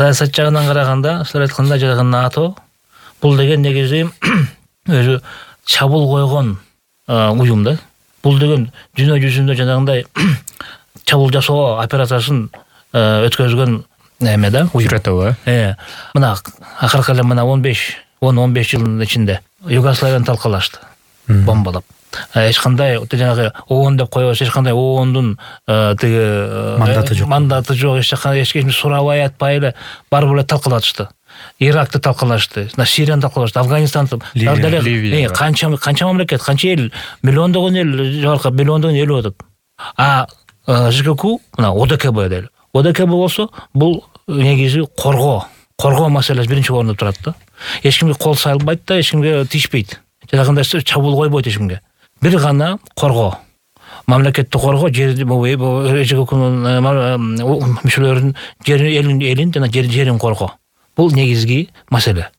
саясат жагынан караганда, силер айткандай жанагы НАТО бул деген негизи өзү чабуул койгон уюм да. Бул деген дүйнө жүзүндө жанагындай чабуул жасоо операциясын өткөзгөн эме да, уюм. Мына акыркы эле мына 10-15 жылдын ичинде Югославияны талкалашты, бомбалап. Эч кандай жанагы ООН деп коебуз, эч кандай ООНдун тиги мандаты жок, эч ким сурабай атпай эле барып эле талкалатышты. Иракты талкалашты, Сирияны талкалашты, Афганистанды, канча мамлекет, канча эл, миллиондогон эл, жогорку миллиондогон эл өтөт. ЖКК мына ОДКБ дейли. ОДКБ болсо бул негизи коргоо маселеси биринчи орунда турат да. Эч кимге кол салбайт да, эч кимге тишпейт. Жанагындай чабуул койбойт эч кимге. Бир гана коргоо. Мамлекетти коргоо, ЖККнын мүчөлөрүнүн элин жана жерин коргоо. Бул негизги маселе.